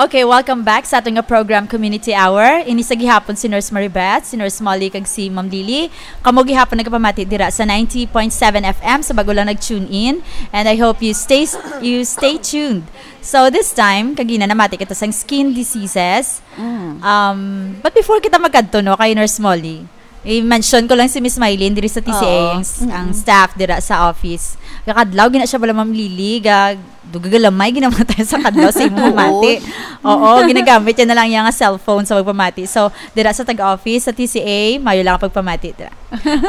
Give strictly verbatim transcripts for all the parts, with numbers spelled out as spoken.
Okay, welcome back sa aton nga program, Community Hour. Ini sa gihapon si Nurse Maribeth, si Nurse Molly, kag si Ma'am Lily. Kamo gihapon nagapamati dira sa ninety point seven F M sa bago lang nag-tune in. And I hope you stay you stay tuned. So this time, kagina namati kita sang skin diseases. Mm. Um, but before kita magkadto, no, kay Nurse Molly, i-mention ko lang si Miss Mylene diri sa T C A, Oo. ang s-, ang Mm-mm. staff dira sa office. Kakadlaw gina siya bala, Ma'am Lily, ga-, dugagamay ginamatay sa kadlaw sa imong Oo. pamati. Oo, ginagamit niya na lang niya nga cellphone sa pagpamati. So, dira sa tag-office sa T C A, mayo lang ang pagpamati dira.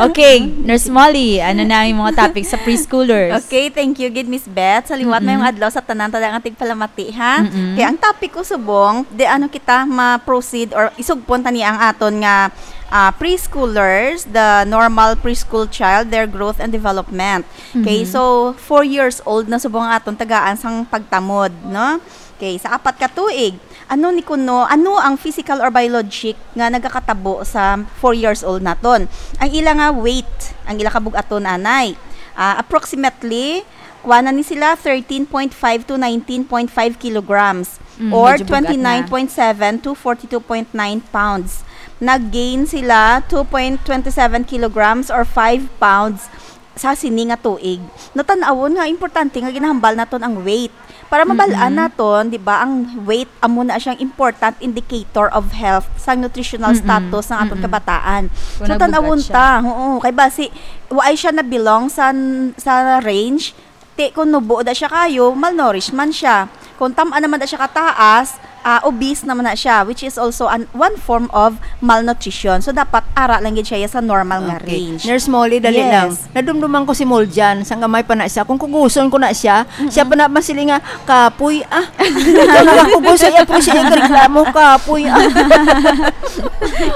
Okay, Nurse Molly, ano na yung mga topic sa preschoolers? Okay, thank you gid, Miss Beth. Sa liwat, Mm-mm. mayong adlaw sa tanan, tanan nga tigpalamati, ha? Mm-mm. Kaya ang topic ko subong, di ano kita ma-proceed or isugpon tani ang aton nga, ah, preschoolers, the normal preschool child, their growth and development. Okay, Mhm. so four years old na subong ang aton tagaan sang pagtamod, no? Okay, sa apat ka tuig, ano ni kuno, ano ang physical or biologic nga nagakatabo sa four years old naton? Ang ila nga weight, ang ila kabug-aton anay, ah, approximately, kuha na ni sila thirteen point five to nineteen point five kilograms, Mm, or medyo bug-at na. twenty-nine point seven to forty-two point nine pounds. Nag-gain sila two point twenty-seven kilograms or five pounds sa sini nga tuig. Natan-awon nga importante nga ginahambal naton ang weight. Para mabal-an Mm-mm. naton, di ba, ang weight amo na siyang important indicator of health sa nutritional Mm-mm. status ng aton Mm-mm. kabataan. Kung So, tan-awon nagbugat siya. ta, oo, kay basi, waay siya na belong sa, sa range, ti kung nubo da siya kayo, malnourished man siya. Kung tam-an naman da siya kataas, ah, obese naman na siya, which is also an, one form of malnutrition. So, dapat ara lang gid siya sa normal nga Okay. range. Nurse Molly, dali Yes. lang. Nadumduman ko si Moljan, sang gamay pa na siya. Kung kuguson ko na siya, Mm-mm. siya pa na masili nga, "Kapoy, ah." Ikaw na lang kuguson, iya po siya yung reklamo, "Kapoy, ah."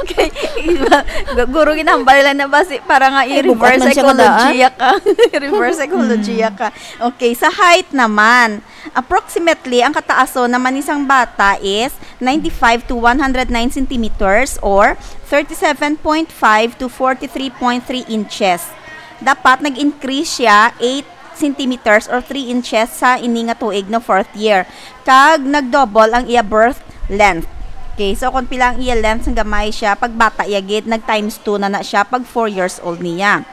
Okay. Iba, gu-, guro, ginahambal lang na ba si, para nga Ay, i-reverse bukas man siya psychology kadaan. ya ka. Reverse psychology Mm. ya ka. Okay, sa height naman, approximately, ang kataason naman ni sang bata is ninety-five to one hundred nine centimeters or thirty-seven point five to forty-three point three inches. Dapat nag-increase siya eight centimeters or three inches sa ini nga tuig, no, fourth year. Kag nag-double ang iya birth length. Okay, so kung pila ang iya length, sang gamay siya, pag bata iya gid, nag times two na na siya pag four years old niya.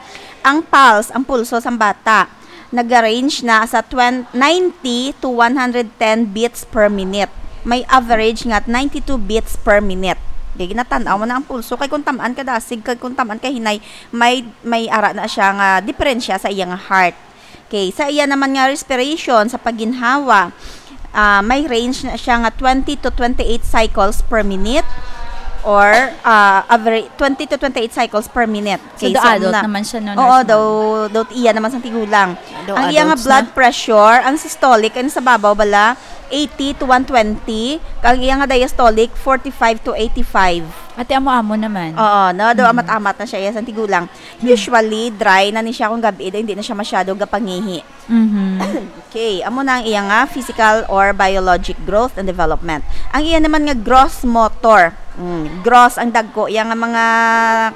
Ang pulse, ang pulso sang bata, nag-range na sa twen-, ninety to one hundred ten beats per minute. May average nga ninety-two beats per minute. Kay ginatan-aw mo na ang pulso. Kay kung tam-an ka dasig, kag kung tam-an ka hinay, may, may ara na siya nga diferensya sa iya nga heart. Okay, sa iya naman nga respiration, sa pagginhawa, ah, may range na siya nga twenty to twenty-eight cycles per minute or, ah, average, twenty to twenty-eight cycles per minute. So, Okay, the so, adult na-, naman siya, no, Oo, Nurse daw, Ma'am? daw iya naman sang tigulang. Daw Ang iya nga adults blood na. pressure, ang systolic, ang sa babaw bala, eighty to one twenty, kag ang iya nga diastolic, forty-five to eighty-five. Ate, amo-amo naman. Oo, no, daw Mm. amat-amat na siya iya sang tigulang. Mm. Usually, dry na ni siya kung gabi, daw hindi na siya masyado gapangihi. Mhm. Okay, amo na ang iya nga physical or biologic growth and development. Ang iya naman nga gross motor, mm, gross ang dagko, iya nga mga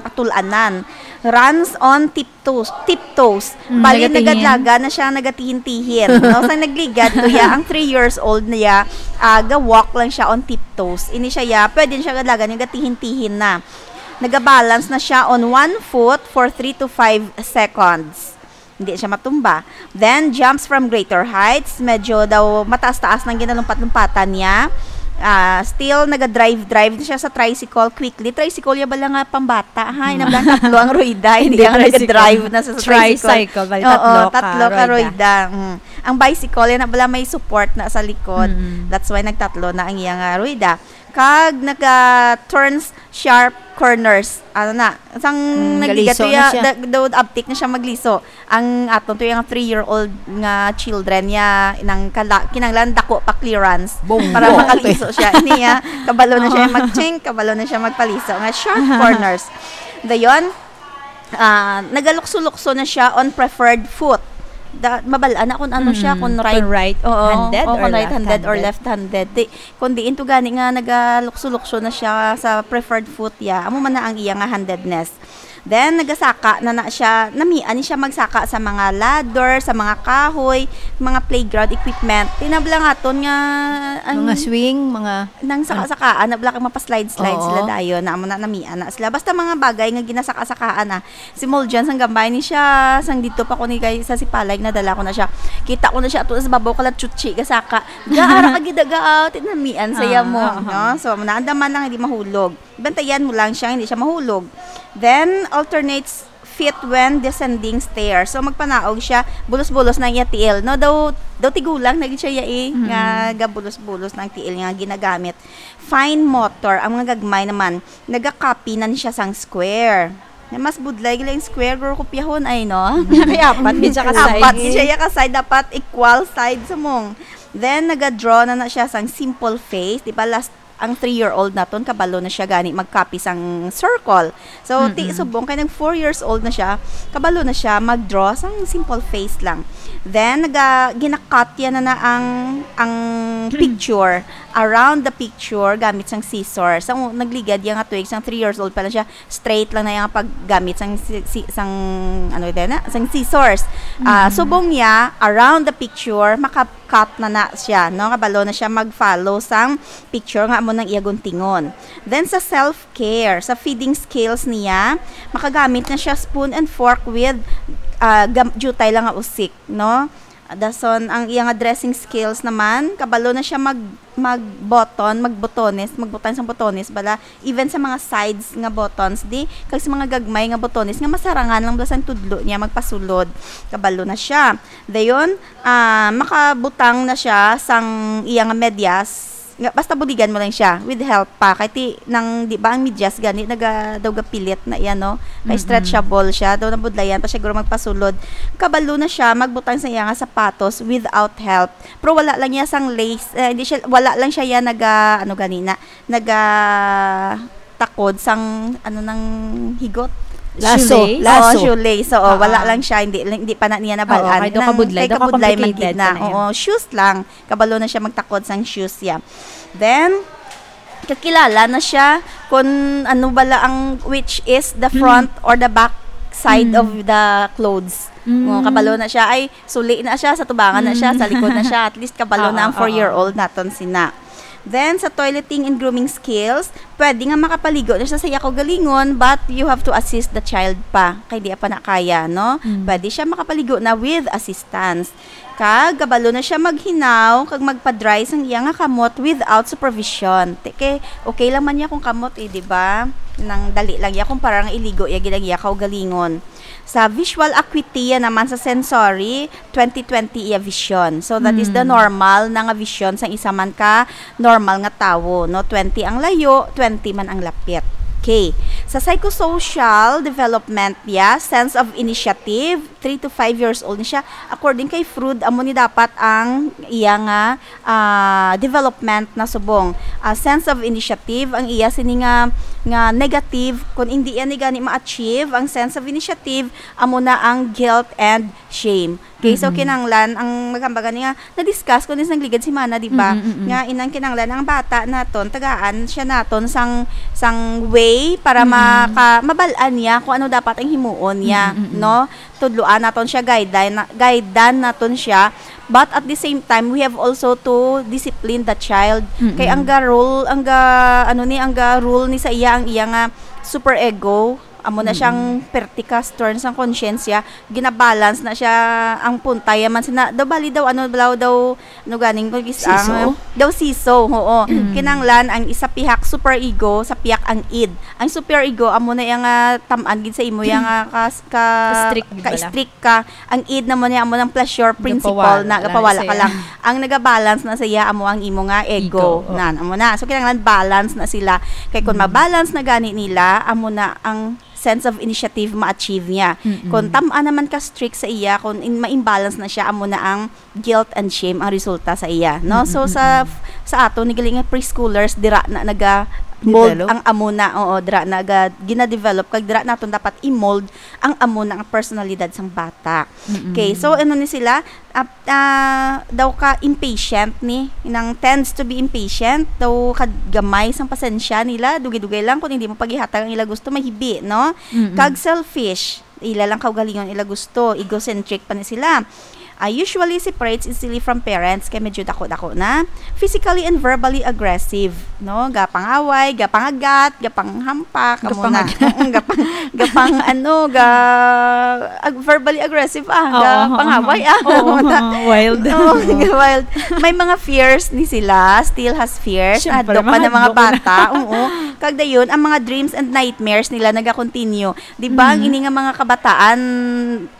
katul-anan. Runs on tiptoes, tiptoes. Mm, Bali, nagatihin. nagadlaga na siya, nagatihin-tihin. No? Sa nagligad, kuya, ang three years old niya, ah, ga-walk lang siya on tiptoes. Ini siya, ya, pwede siya gadlagan, nagatihin-tihin na. Nagabalance na siya on one foot for three to five seconds. Hindi siya matumba. Then, jumps from greater heights. Medyo daw mataas-taas nang ginalumpat-lumpatan niya. Ah, still, naga-drive-drive na siya sa tricycle quickly. Tricycle ya bala nga pambata, ha? Ina bala tatlo ang rueda. Hindi Hindi, ang tricycle. naga-drive na sa, sa tricycle. Tricycle, bali Oo, tatlo ka tatlo ka rueda. rueda. Mm. Ang bicycle, yan na bala may support na sa likod. Mm. That's why nagtatlo na ang iyang, ah, rueda. Kag naga-turns sharp corners. Ano na? Sang Mm, nagligat galiso to na ya, siya. da-, daw abtik na siya magliso. Ang aton to yung three-year-old nga children niya, nang kala-, kinanglan dako pa clearance Bonggo. para makaliso siya. Niya, kabalo na siya Oo. mag-ching, kabalo na siya magpaliso. Nga sharp corners. Dayon, ah, nagalukso-lukso na siya on preferred foot. Da-, mabal-an na kung ano siya, Mm, kung right, kung right-handed oo, or kung right-handed or left-handed. left-handed. Di, kung diin to gani nga nagalukso-lukso na siya sa preferred foot ya, amo man na ang iya nga handedness. Then, nagasaka na na siya, namian siya magsaka sa mga ladder, sa mga kahoy, mga playground equipment. Tinabla nga ton nga, ang Mga swing, mga nang saka-sakaan, na bala kay mapaslide-slide Oo. sila dayon, na amo na namian na sila. Basta mga bagay nga ginasaka-sakaan na. Si Moljan, sang gambay ni siya, sang dito pa ko ni kay sa Sipalay, nadala ko na siya. Kita ko na siya, ato sa babaw, kala chuchi, gasaka. Gaara ka gidaga, ah, tinamian sa Ah, iya mo, aha. no? So, naandaman lang, hindi mahulog. Bantayan mo lang siya, hindi siya mahulog. Then, alternates fit when descending stairs. So, magpanaog siya, bulos-bulos na iya tiil. No, daw, daw tigulang na gid siya iya eh, Mm. nga gabulos-bulos ng tiil nga ginagamit. Fine motor, ang mga gagmay naman, nagakopy na siya sang square. Na mas budlay gila yung square, guro kopyahon ay, no? Kay apat gid siya ka Apat side. gid siya iya ka side, dapat equal side sa mong. Then, nagadraw na na siya sang simple face. Di ba, last, ang three-year-old naton, kabalo na siya gani mag-copy sang circle. So, ti Mm-mm. subong, kay nag four years old na siya, kabalo na siya mag-draw sang simple face lang. Then, naga, ginakat yan na, na ang, ang picture. Around the picture, gamit sang scissors. Sang nagligad yan nga tuig, sang three years old pa lang siya, straight lang na yung paggamit sang si, si, sang, ano din na, sang scissors. Ah, Mm. subong niya, around the picture, maka-cut na na siya, no? Kabalo na siya mag-follow sang picture nga amo nang iya guntingon. Then sa self-care, sa feeding skills niya, makagamit na siya spoon and fork with, ah, gam-, jutay lang nga usik, no? Dason, ang iya nga dressing skills naman, kabalo na siya mag, mag-button, magbotones, magbutang sang botones, bala, even sa mga sides nga buttons, di, kag sa mga gagmay nga botones nga masarangan lang bala sang tudlo niya magpasulod, kabalo na siya. Dayon, ah, makabutang na siya sang iya nga medyas, nga, basta buligan mo lang siya, with help pa. Kay ti, nang, di ba, ang medyas gani, naga, daw gapilit na iya, no? Kay Mm-mm. stretchable siya, daw nabudlayan pa siya, guro magpasulod. Kabalo na siya, magbutang sa iya nga sapatos without help. Pero wala lang niya sang lace, eh, hindi siya, wala lang siya yan naga, ano gani na, naga takod sang, ano, nang higot. Laso, Shoelace? Laso. Oo, shoelace. Oo, Oo. wala lang siya, hindi, hindi pa na niya nabalaan. Oo, kay daw Nang kabudlay, kay daw kabudlay man complicated gid na. pa na yan. Oo, shoes lang. Kabalo na siya magtakod sang shoes, yeah. Then, kakilala na siya kung ano bala ang, which is the Hmm. front or the back side Hmm. of the clothes. Hmm. Oh, kabalo na siya. Ay, suli na siya, sa tubangan na siya, Hmm. sa likod na siya. At least kabalo na ang Oo, oo. four-year-old naton sina. Then, sa toileting and grooming skills, pwede nga makapaligo na siya sa iya kaugalingon, but you have to assist the child pa. Kay di pa na kaya, no? Hmm. Pwede siya makapaligo na with assistance. Kag kabalo na siya maghinaw kag magpa-dry sang iya nga kamot without supervision. Te-, kay okay lang man niya kung kamot, eh, di ba? Nang dali lang iya kung parang iligo iya gid ang iya kaugalingon. Sa visual acuity, yan naman sa sensory, twenty twenty iya vision. So, that is the Mm. normal na nga vision sang isa man ka normal nga tawo, no? Twenty ang layo, twenty man ang lapit. Okay. Sa psychosocial development niya, sense of initiative, three to five years old ni siya. According kay Freud, amo ni dapat ang iya nga, ah, development na subong. Ah, sense of initiative, ang iya sini nga, nga negative, kung hindi iya ni gani ma-achieve ang sense of initiative, amo na ang guilt and shame. Okay, so Mm-mm. kinahanglan ang maghambagan niya, na-discuss ko din sa nagligad si Mana, di ba? Mm-mm, mm-mm. Nga inang kinahanglan ang bata naton, tagaan siya naton sang, sang way para Mm-mm. maka-, mabal-an niya kung ano dapat ang himuon niya, Mm-mm, mm-mm. no? Tudloan naton siya, guidean na-, guidean naton siya. But at the same time, we have also to discipline the child. Mm-mm. Kay ang ga rule, ang ga, ano ni, ang ga rule ni sa iya, ang iya nga super ego, amo na Mm-mm. siyang pertikas, turn sang konsyensya, ginabalance na siya, ang puntay man sina, daw bali daw, ano, daw, daw, ano ganing ko, gis-, Siso? ang, daw siso, oo. Mm. Kinahanglan ang isa pihak super ego, sa pihak ang id. Ang super ego, amo na iya nga tam-an gid sa imo, iya nga kas-, ka, Strict gid bala. ka-strict ka. Ang id na mo niya, amo ng pleasure principle Gapawala na, lang gapawala ka siya. lang. Ang nagabalance na sa iya, amo ang imo nga ego. Ego, oh. Nan, amo na. So, kinahanglan balance na sila. Kay kung Mm. mabalance na gani nila, amo na ang sense of initiative ma-achieve niya. Mm-mm. Kung tam-an naman ka strict sa iya, kung in-, ma-imbalance na siya, amo na ang guilt and shame ang resulta sa iya, no? So, Mm-mm, sa, mm-mm. sa ato, ni galing nga preschoolers, dira na naga, Mold ang amo na, oo, dira na ga-, gina-develop, kag dira naton dapat i-mold ang amo na nga personalidad sang bata. Mm-mm. Okay, so ano ni sila? Ah, ah, daw ka impatient ni, nang tends to be impatient, daw ka gamay sang pasensya nila, dugay-dugay lang kung hindi mo pagihatag ang ila gusto, mahibi, no? Mm-mm. Kag selfish, ila lang kaugalingon ila gusto, egocentric pa ni sila. Ah, usually separates easily from parents kay medyo dako-dako na. Physically and verbally aggressive, no? Gapangaway, gapangagat, gapanghampak, amo na. Gapangagat. Mm, gapang, gapang, ano, ga-, ag-, verbally aggressive, ah, Oo, gapangaway, oo. Ah. Oo, oo, wild. Oo, wild. May mga fears ni sila, still has fears. Siyempre, Hadlok pa ng mga mahadlok na. Bata, oo. Kag dayon, ang mga dreams and nightmares nila naga-continue. Di ba, ang Mm. ini nga mga kabataan,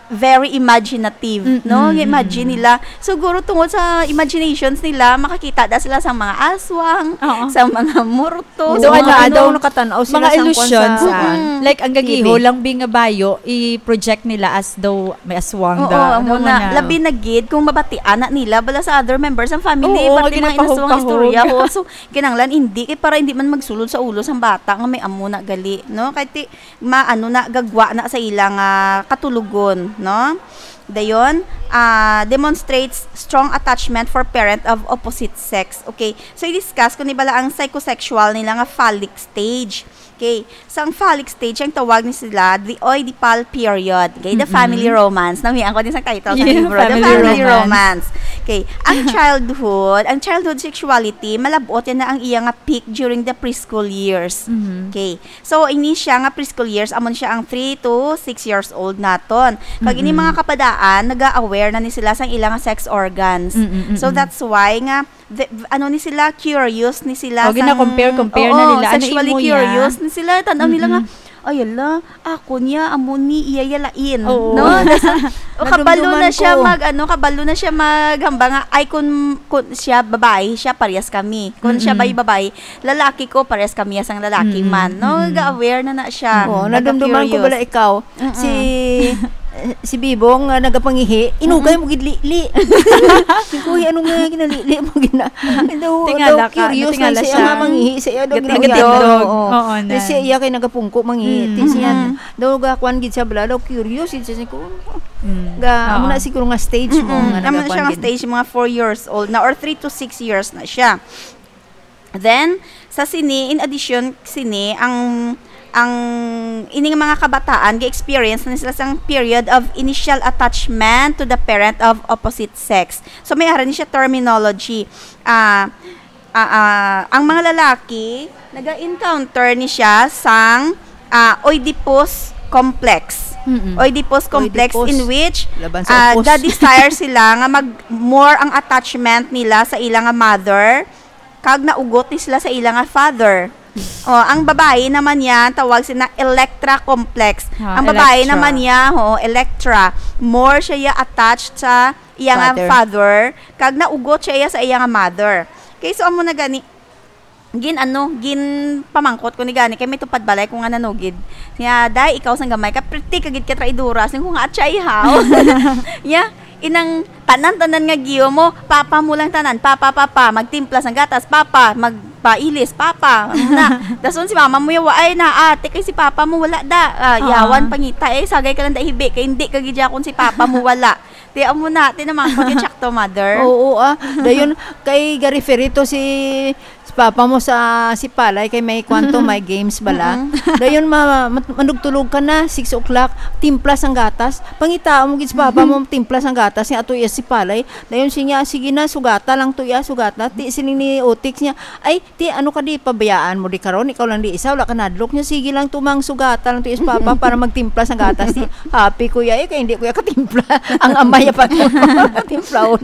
very imaginative, Mm-mm, no? Imagine mm-mm. nila. Siguro tungod sa imaginations nila, makakita da sila sa mga aswang, Oo. sa mga murto, So, sa ano, mga ano, ano, nakatan-aw sila mga sa kwan illusions, sa ah. Mm. Like, ang T V. Gagiho lang, bi nga bayo, i-project nila as though may aswang Oo, da. Ano amo na. Mga Labi na gid kung mabatian na nila, bala sa other members ng family, Oo, parte mga ginapahog-pahog. Inaswang istorya. Oo, so, kinanglan, hindi, kay para hindi man magsulod sa ulo sang bata nga may amo na gali, no? Kay ti-, maano na, gagwa na sa ila nga katulogon, no? Dayon, ah, demonstrates strong attachment for parent of opposite sex. Okay, so i-discuss ko ni bala ang psychosexual nila nga phallic stage. Okay, sa ang phallic stage, ang tawag ni sila, the Oedipal period. Okay, the Mm-mm. family romance. Namian ko din sa title sa Yeah, libro, the family family romance. romance. Okay, ang childhood, ang childhood sexuality, malabot yan na ang iya nga peak during the preschool years. Mm-hmm. Okay, So, ini siya nga preschool years, amon siya ang three to six years old naton. Kag ini Mm-mm. mga kabataan, naga-aware na ni sila sang ilang sex organs. Mm-mm, So, mm-mm. that's why nga, the, ano ni sila, curious ni sila Oh, sang gina-compare, compare na Oo, nila. Ano sexually imo ya? curious ni sila. Tanaw nila nga, Mm-mm. "Ay, ala, ako niya, amo ni, iya ya lain." Oo. No? Tas, o, kabalo Nadumduman na siya ko. mag, ano, kabalo na siya maghamba nga, "Ay, kun, kun siya babae, siya parehas kami. Kun siya Mm-mm. bay babae, lalaki ko, pares kami sang lalaki Mm-mm, man," no? mm-mm. Ga-aware na na siya. Oo, Naga-curious. Nadumduman ko bala ikaw. Mm-mm. Si, si Bibong nga nagapangihi, inugay Mm-mm. mo gid lili. Singko, "Uy, ano nga ginalili mo gina-?" Daw, Tingala daw ka, curious natingala lang siya siya. nga mangihi sa iya, daw Nag-, ginawa. nagatindog. Oo, oo. Oo, Di na. siya iya kay nagapungko mangihi. Mm. Ti siya, Mm-mm. daw gakuan gid siya bala, daw curious gid siya. Singko, Mm. ga, amo Oo. na siguro nga stage mo Mm-mm. nga Amo na siya nagakuan nga gid. stage, mga four years old na or three to six years na siya. Then, sa sini, in addition, sini, ang, ang, ini nga mga kabataan, ga-experience na sila sang period of initial attachment to the parent of opposite sex. So, may ara ni siya terminology. Ah, ah, ah, ang mga lalaki, naga-encounter ni siya sang, ah, Oedipus complex. Mm-mm. Oedipus complex Oedipus. in which, Laban sa ah, opos. ga-desire sila nga mag-, more ang attachment nila sa ila nga mother, kag naugot ni sila sa ila nga father. O, ang babayi naman niya, tawag sila Electra complex. Ah, Ang babayi Electra. naman niya, ho, Electra, more siya ya attached sa iya nga Father. father, kag naugot siya iya sa iya nga mother. Okay, so amo na gani, gin-, ano, ginpamangkot ko ni gani, kay may tupad balay ko nga nanugid. Niya, "Day, ikaw sang gamay ka, pretty ka gid ka traidora." Siling ko nga, "Atchay, how?" Ya, inang tanan-tanan nga giyo mo, "Papa mo lang tanan, papa, papa, magtimpla sang gatas, papa, magpailis, papa." Ano na? Dason si mama mo yawa, "Ay na, ate, kay si papa mo wala da." Ah, Oo. yawan pangita, eh, sagay ka lang da hibi, kay hindi ka gid kon si papa mo wala. Ti amo na, ti naman ko ti tsakto, mother. Oo, ah. Dayon, kay ga-refer ito si, si papa mo sa, si Palay, kay may kwanto, may games bala. Mm-mm. Dayon, ma-, mat-, manugtulog ka na, six o'clock, timpla sang gatas. Pangita mo gid si papa mo, timpla sang gatas, nga ato iya si Palay. Dayon, siya, "Sige na, sugata lang to iya, sugata." Ti, siling ni Otik niya, "Ay, ti, ano ka di, pabayaan mo di karon? Ikaw lang di isa, wala ka nadlok." Niya, "Sige lang, tumang sugata lang to iya si papa para magtimpla sang gatas." Ti, happy ko iya, eh, kay hindi ko iya katimpla. Ang amay pa to. Timplaon.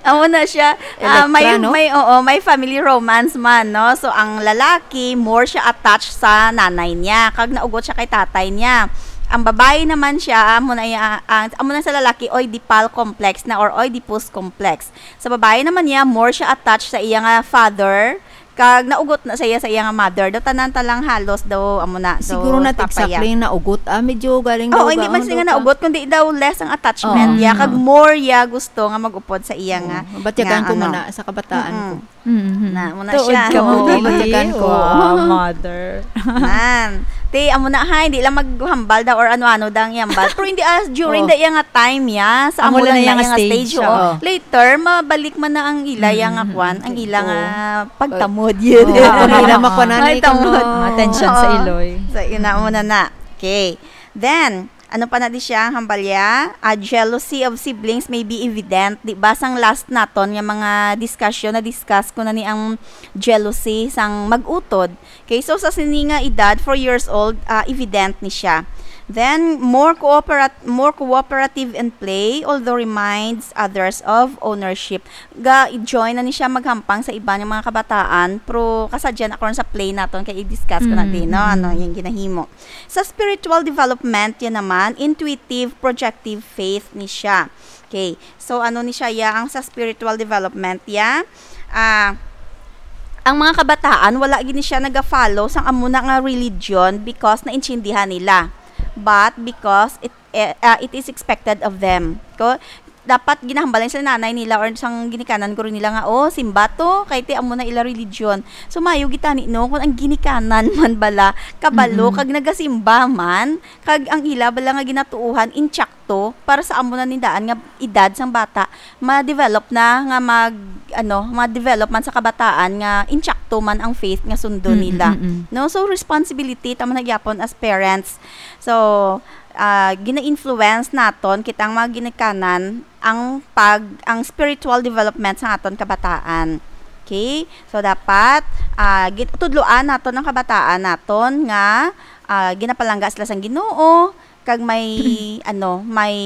Amo na siya. Ah, may, Electra, no? may, oo, may family romance man, no? So, ang lalaki, more siya attached sa nanay niya. Kag naugot siya kay tatay niya. Ang babayi naman siya, amo na iya, ang, amo na sa lalaki, Oedipal complex na or Oedipus complex. Sa babayi naman niya, more siya attached sa iya nga father, Kag naugot na siya sa iya nga mother. Daw tanan ta lang halos daw, amo na, daw Siguro not papa ya. exactly ang naugot, ah. Medyo galing Oo, daw hindi ga-, man ano siya daw nga ka? naugot, kundi daw less ang attachment Oh. ya. Kag Mm. more ya gusto nga mag-upod sa iya nga, Oh, batyagan nga ko ano. man na sa kabataan Mm-mm. ko. Mm-hmm. Na, amo na Tuod siya. ka mo, Oo, dili. batyagan ko. Wow, mother. Nan. Ti, amo na, hay, di lang maghambal daw or ano-ano daw ang ihambal. Pero hindi, ah, during Oh. the iya nga time ya, sa Amo amo lang lang na iya na nga nga stage, stage, oo. oo. Later, mabalik man na ang ila iya nga Mm-hmm. kwan, ang Okay. ila nga Oo. pagtamod. Yun. Oo. Ang ila makwanan Ay, ay tamod. kuno. Attention sa Oo. iloy. So, yun na, amo na na. Okay. Then, ano pa na di siya, ang hambal ya? Ah, jealousy of siblings may be evident. Di ba, sang last naton nga mga discussion, na-discuss ko na ni ang jealousy sang mag-utod. Okay, so sa sini nga edad, four years old, ah, evident ni siya. Then, more cooperat-, more cooperative in play, although reminds others of ownership. Ga-join na ni siya maghampang sa iban nga mga kabataan, pero kasadya na karon sa play naton kay i-discuss ko na Mm, din, no? mm. Ano yung ginahimo. Sa spiritual development, yan naman, intuitive, projective faith ni siya. Okay. So, ano ni siya, ya, ang sa spiritual development, ya? Ah, ang mga kabataan, wala gini siya naga-follow sang amo na nga religion because naintindihan nila. But because it, eh, ah, it is expected of them. Ko, dapat ginahambalan sa nanay nila or sang ginikanan guro nila nga, "Oh, simba to, kay ti amo na ila religion." So, mayo gitani, no, kung ang ginikanan man bala, kabalo, Mm-mm. kag nagasimba man, kag ang ila bala nga ginatuohan, intsakto, para sa amo na nindaan nga edad sang bata, ma-develop na nga mag, ano, ma-develop man sa kabataan nga intsakto man ang faith nga sundon Mm, nila. mm, mm. No? So, responsibility, tama na gyapon as parents. So, ah, gina-influence naton, kita ang mga ginikanan, ang pag, ang spiritual development sa aton kabataan. Okay? So, dapat, ah, gin-, tudloan naton ang kabataan naton nga, ah, ginapalangga sila sang Ginoo, kag may, ano, may,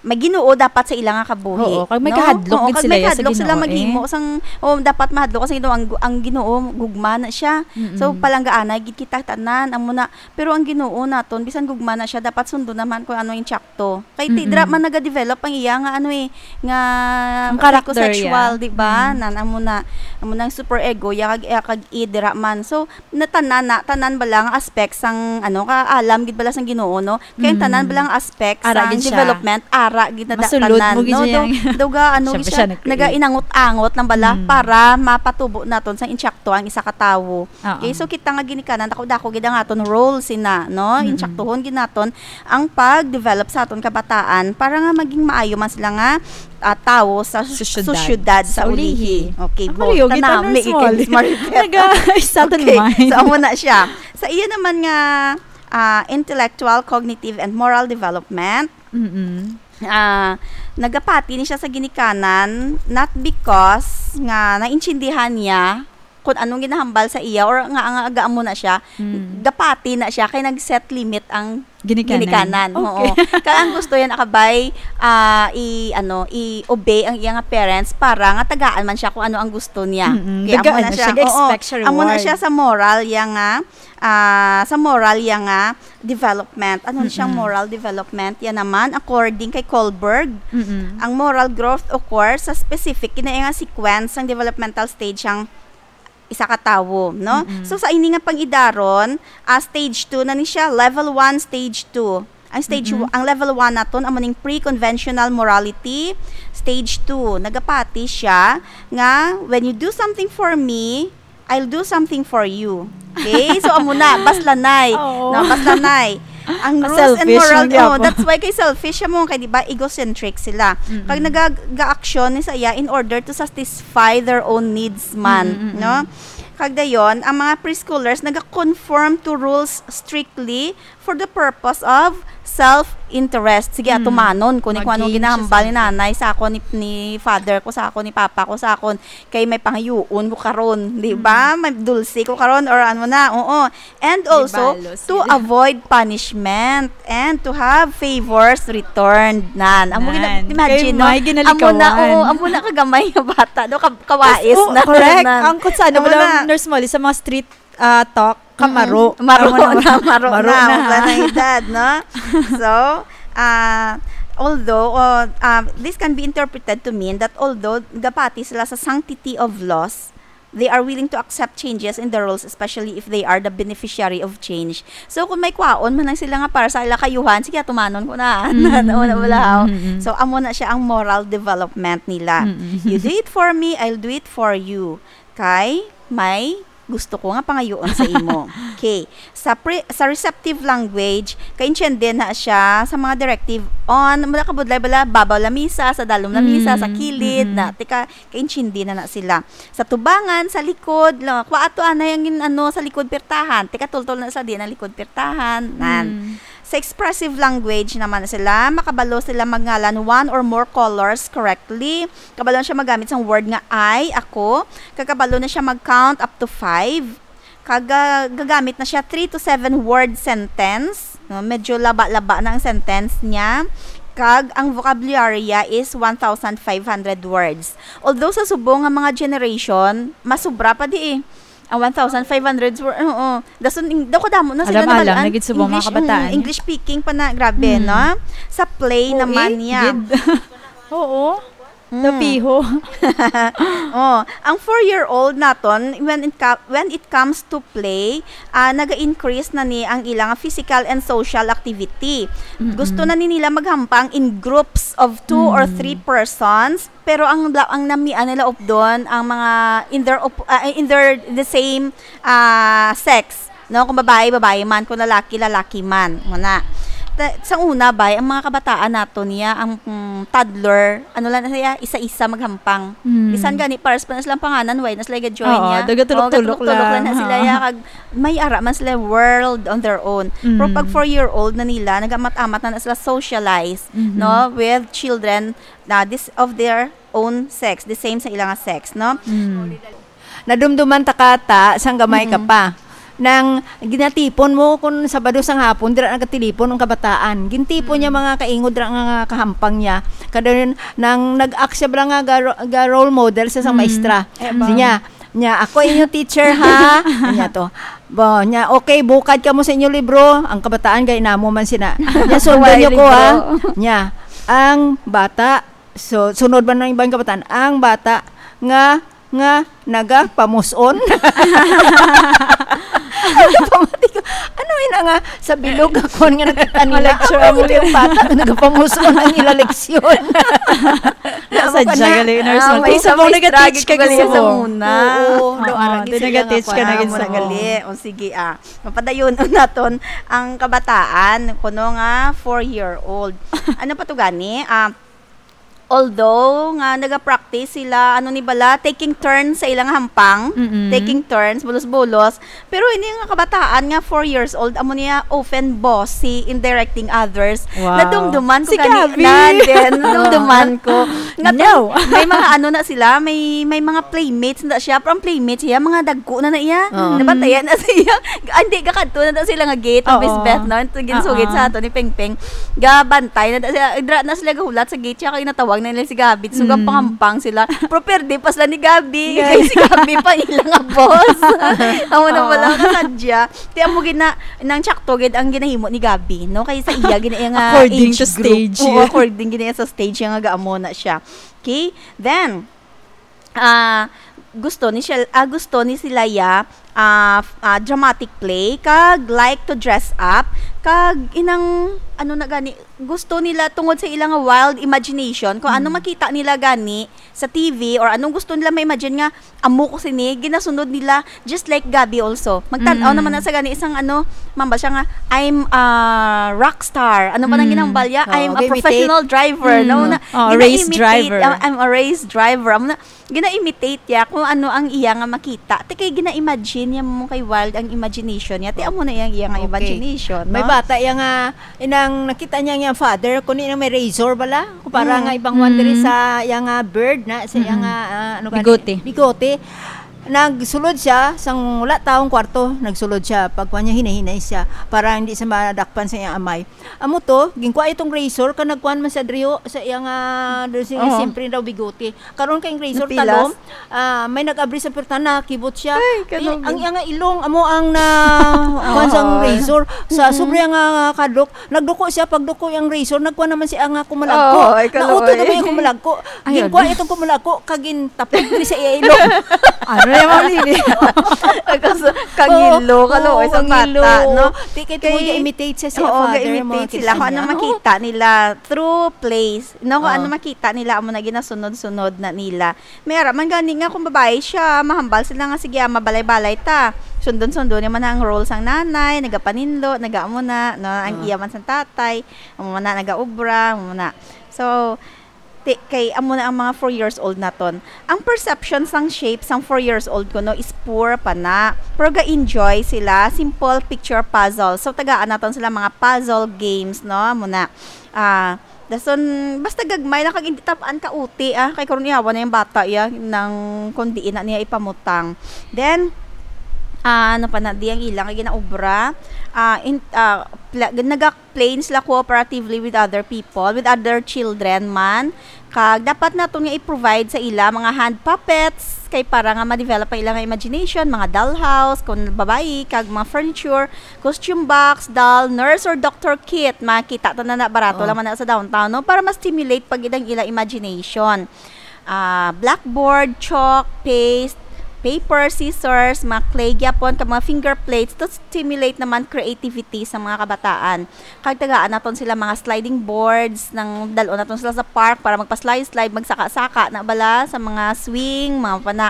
may Ginoo dapat sa ila nga kabuhi, Oo, kag may no? kahadlok Oo, gid kag sila may ya sa kahadlok sila Ginoo, eh. maghimo sang, oh, dapat mahadlok ka sa Ginoo. Ang, ang Ginoo, gugma na siya. Mm-mm. So, palanggaanay gid kita tanan, amo na. Pero ang Ginoo naton, bisan gugma na siya, dapat sundon naman kung ano yung tsakto. Kay ti-, Mm-mm. dira man nagadevelop ang iya nga, ano, eh, nga Ang character, psychosexual, yeah. di ba? Mm. Nan, amo na, amo na ang super ego, ya kag, ya kag id, dira man. So, na tanan na, tanan bala nga aspect sang, ano, kaalam gid bala sang Ginoo, no? Kay ang tanan Mm. bala nga aspect Ara sang gid siya. development, ara gid na da-, Masulod tanan, mo gid no? siya Daw, yang daw ga, ano, Siya gid pa siya siya, nag-create. nagainangot-angot lang bala Mm. para mapatubo naton sang intsakto ang isa ka tawo. Oo. Okay, so kita nga ginikanan, dako-dako gid ang aton role sina, no? Mm-mm. Intsaktuhon gid naton ang pag-develop sa aton kabataan para nga maging maayo man sila nga, ah, tawo sa sus-, Sosyedad. sosyedad sa Sa ulihi. ulihi. Okay, Ang bo, kayo, kita, Nurse nami, Molly. Maribel. Naga-, sa aton Okay, mind. so amo na siya. Sa iya naman nga, ah, intellectual, cognitive, and moral development, Mm-mm. ah, nagapati ni siya sa ginikanan, not because nga naintindihan niya kung anong ginahambal sa iya or nga, nga aga amo na siya, Mm. gapati na siya kay nag-set limit ang Ginikanan. ginikanan. Okay. Oo. Kaya ang gusto yan, akabay, ah, i-, ano, i-obey ang iya nga parents para nga tagaan man siya kung ano ang gusto niya. Mm-mm. Kaya amo Tagaan na na siya. siya. Oo. Expect siya Amo na reward. siya sa moral, ya nga, ah, sa moral, ya nga development. Ano siyang Mm-mm. moral development? Yan naman, according kay Kohlberg, Mm-mm. ang moral growth occurs sa specific, kina nga sequence sang developmental stage sang isa ka tawo, no? Mm-mm. So, sa ini nga pang-idaron, ah, stage two na ni siya, level one, stage two. Ang stage Mm-mm. w-, ang level one naton, amo ning pre-conventional morality. Stage two, nagapati siya nga, "When you do something for me, I'll do something for you." Okay? So, amo na, baslanay. Oo. No, baslanay. Ang rules and Selfish moral, man gyapon. oh, that's why kay selfish siya mo, kay di ba, egocentric sila. Mm-mm. Kag nagag-, ga-aksyon ni sa iya in order to satisfy their own needs man, Mm-mm-mm. no? Kag dayon, ang mga preschoolers naga-conform to rules strictly for the purpose of self-interest. Sige, Mm. atumanon ko ni kung ano Mag-gain siya ginahambal ni something. nanay sa akon, ni, ni father ko sa akon, ni papa ko sa akon, kay may pangayuon ko karon, di ba? Mm. May dulce ko karon or ano na, oo. And also, Libalo to sila. avoid punishment and to have favors returned. Nan. Amo gina-, Nan. imagine, Kay no? may ginalikawan. Amo na, oo, amo na kagamay nga bata, no? Ka-, kawais Yes, oh, na, correct. nan. Ang kung sa ano, Amo wala, na. Nurse Molly, sa mga street, ah, talk, kamaro. Mm-mm. Maro Amo na, na, maro maro na, na. Wala na edad, no? So, ah, although, oh, ah, this can be interpreted to mean that although gapati sila sa sanctity of laws, they are willing to accept changes in the rules, especially if they are the beneficiary of change. So, kung may kwaon man lang sila nga para sa ila kayuhan, sige, tumanon ko na. Mm. Wala, wala, haw. Mm, mm, mm. So, amo na siya ang moral development nila. Mm, mm. "You do it for me, I'll do it for you." Kay may gusto ko nga pangayoon sa imo. Okay. Sa pre-, sa receptive language, kaintiende na siya sa mga directive on, mula kabudlay bala, babaw lamisa, sa dalom lamisa, sa Mm, kilid, mm-mm. na, tika, kaintiende na na sila. Sa tubangan, sa likod, la, kwa ato anay ang gin-, ano, sa likod pirtahan, tika, tultol na sa di na likod pirtahan, nan. Mm. Sa expressive language naman sila, makabalo sila magngalan one or more colors correctly. Kabalo na siya magamit sang word nga "I," ako. Kag kabalo na siya mag-count up to five. Kag, ah, gagamit na siya three to seven word sentence. No, medyo laba-laba na ang sentence niya. Kag ang vocabulary niya is one thousand five hundred words. Although sa subong nga mga generation, mas sobra pa di eh. Ang one thousand five hundred word, oo. Dason, ing-, daw kadamo na sila Alam-alam, nabalaan. Nagitsubong mga English, kabataan, mm, eh. English speaking pa na, grabe, Mm. no? Sa play Oo, naman eh, niya. gid. Oo. Mm. Napiho. Oh, ang four-year-old naton, when it co-, when it comes to play, ah, naga-increase na ni ang ilang physical and social activity. Mm-mm. Gusto na ni nila maghampang in groups of two or Mm. three persons, pero ang la-, ang namian nila updon, ang mga in their op-, ah, in their, the same, ah, sex, no? Kung babae, babae man, kung lalaki, lalaki man. Muna. Ta-, sa una, bay, ang mga kabataan nato niya, ang, mm, toddler, ano lang na siya, isa-isa maghampang. Mm. Bisan gani, pares pa na silang panganan, why na sila ga-join Oo, niya? dagatulok-tulok Oh, gatulok-tulok lang. lang na sila, Oo. ya, kag may ara man sila world on their own. Pero pag Mm. four-year-old na nila, nagamat-amat na, na sila socialize, Mhm. no, with children na this, of their own sex, the same sa ilang sex, no? Mm. Nadumduman ta ka ta sang gamay ka Mm-mm. pa. Nang ginatipon mo kun Sabado sang hapon, dira nagatilipon ang kabataan. Gintipon niya Mm. mga kaingod dira nga kahampang niya. Kada yun, nang nag-act siya bala nga ga-, ga-role model sa sang Mm. maestra. Eh, Siya ba? niya, niya, "Ako inyo teacher, ha?" Niya to. Bo, niya, "Okay, bukad kamo sa inyo libro." Ang kabataan, gay namo man sina. Niya, "Sundan Why niyo ko, ha?" libro? Niya, ang bata, so, sunod man ang ibang kabataan, ang bata nga, nga nagapamuson. Pamati ko, ano yun nga sa bilog ako nga nakita nila? Ma-lecture Ano mo yung yun. bata nga nagapamuson ang ila leksyon? Nasa Ako na, jaga, learners, ah, no? may Isa sa mong mga nag-teach struggle ka ko gali sa kasi mo. una. Oo, do, Oo, arang di sila nag-teach nga ka na kuwan, gid sa mura mo. gali. O, sige, ah. Mapadayon naton ang kabataan, kuno nga four-year-old. Ano pa to gani? Ah, although nga nagapractice sila, ano ni bala, taking turns sa ilang hampang, Mm-mm. taking turns, bulos-bulos. Pero ini nga kabataan nga four years old, amo niya often bossy in directing others. Wow. Nadumduman ko Si gani, Gabby. na din, nadumduman ko. Nga No. may mga ano na sila, may, may mga playmates na siya. Pero ang playmates siya, mga dagko na na iya. Oo. Nabantayan na siya. Ah, hindi, gakadto na daw sila nga gate, ang Oo. Miss Beth, no? Ito ginsugid Oo. sa ato ni Pengpeng. Gabantay na daw sila. Dra na sila gahulat sa gate, siya kay natawag na nila si Gabby. So, Mm. gapahampang sila. Pero perde pa sila ni Gabby. Yeah. Kay si Gabby pa ila nga boss. Amo na Oo. wala ka sadya. Ti amo gina, nang tsakto gid ang ginahimo ni Gabby, no? Kay sa iya, gina iya nga According age to group. stage, Oo, yeah. according gina iya sa stage, iya nga gaamo na siya. Okay? Then, ah, gusto ni siya, ah, gusto ni sila ya, ah, f-, ah, dramatic play, kag like to dress up, kag inang, ano na gani, gusto nila tungod sa ilang wild imagination, kung ano Mm. makita nila gani sa T V or anong gusto nila ma-imagine nga, "Amo ko sini," ginasunod nila, just like Gabby also. Magtan-aw Mm. naman na sa gani isang ano, mambal siya nga, "I'm a rock star." Ano pa nang Mm. ginambal niya? Oh, "I'm a okay, imitate. professional driver." Mm. No? Na, Oh, race gina-imitate, driver. "I'm, I'm a race driver." Amo na, gina-imitate niya kung ano ang iya nga makita. Ti kay gina-imagine niya mo kay wild ang imagination niya. Ti amo na iyang iya nga Okay. imagination, May no? bata iya nga, inang nakita niya nga father, kuno na may razor bala. Kung para Mm. nga ibang one diri Mm. sa iya nga beard na, sa iya Mm. nga, ah, ano gani? Bigote. Bigote. Nagsulod siya, sang wala taong kwarto, nagsulod siya. Pagkuha niya, hinay-hinay siya para hindi siya madakpan sa iyang amay. Amo to, ginkuha itong razor, ka nagkuhan man sa driyo, sa iyang, ah, do-, si-, Oo. siyempre daw bigote. Karon kay ang razor Napilas? talom, ah, may nag-abri sa pwerta, nakibot siya. Ay, Ay, kanugin. ang iyang ilong, amo ang na, kuhan sang Oo. razor. Sa Mm. sobra nga kadlok, nagduko siya, pagduko ang razor, nagkuha naman siya nga kumalagko. Oo, ay, Nauto kaluoy. naman yung kumalagko. Ay, Ginkuha ano? itong kumalagko, kagin tapik ni sa iya ilong. Are, Emang Lily. Kasi kangilo, Oo, kaluoy sa ang bata, ilo. No? Di kay Kay, tungod ga-imitate siya sa oo, father mo, ga-imitate sila. Kung ano kinsa niya. Makita nila through plays, no? Kung Oo. Ano makita nila, amo na ginasunod-sunod na nila. May ara man gani nga kung babae siya, mahambal sila nga, "Sige, ah, mabalay-balay ta." Sundon-sundon naman ang role sang nanay, nagapaninlo, nagaamo na, no? Ang Oo. Iya man sang tatay, amo na, nagaobra, amo na. So, ti-, kay amo na ang mga four years old naton. Ang perception sang shape sang four years old ko, no, is poor pa na. Pero ga-enjoy sila, simple picture puzzle. So, tagaan naton sila mga puzzle games, no? Amo na. Ah, dason, basta gagmay lang kag hindi tab-an ka uti, ah. Kay karon ihawa na yung bata, ya, nang kung diin na niya ipamutang. Then, ah, ano pa na, di ang ilang nga ginaobra. Ah, in, ah, pla-, naga-play sila cooperatively with other people, with other children man. Kag dapat naton nga i-provide sa ila mga hand puppets, kay para nga ma-develop ang ilang imagination, mga dollhouse, kung babayi, kag mga furniture, costume box, doll, nurse or doctor kit, makita ta na na, barato Oo. Lang man na sa downtown, no? Para ma-stimulate pa gid ang ila imagination. Ah, blackboard, chalk, paste, paper, scissors, mga clay gyapon, kag mga finger plates to stimulate naman creativity sa mga kabataan. Kag tagaan naton sila mga sliding boards, nang dal-on naton sila sa park para magpa-slide-slide, magsaka-saka na bala sa mga swing, mga pana,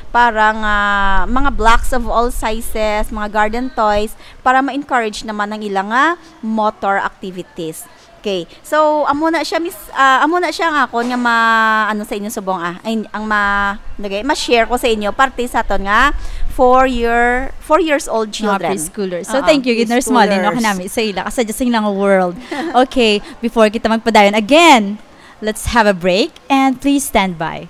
parang, ah, mga blocks of all sizes, mga garden toys, para ma-encourage naman ang ila nga motor activities. Okay. So, amo na siya, Miss, ah, amo na siya nga akon nga ma-, ano sa inyo subong, ah, ay, ang ma-, nagay, ma-share ko sa inyo parte sa aton nga four year, four years old Mga children. Preschoolers. So, Oo, thank you, gid, Nurse Molly, no, preschoolers. Kanami sa ila, kasi just in lang world. Okay, before kita magpadayon again, let's have a break and please stand by.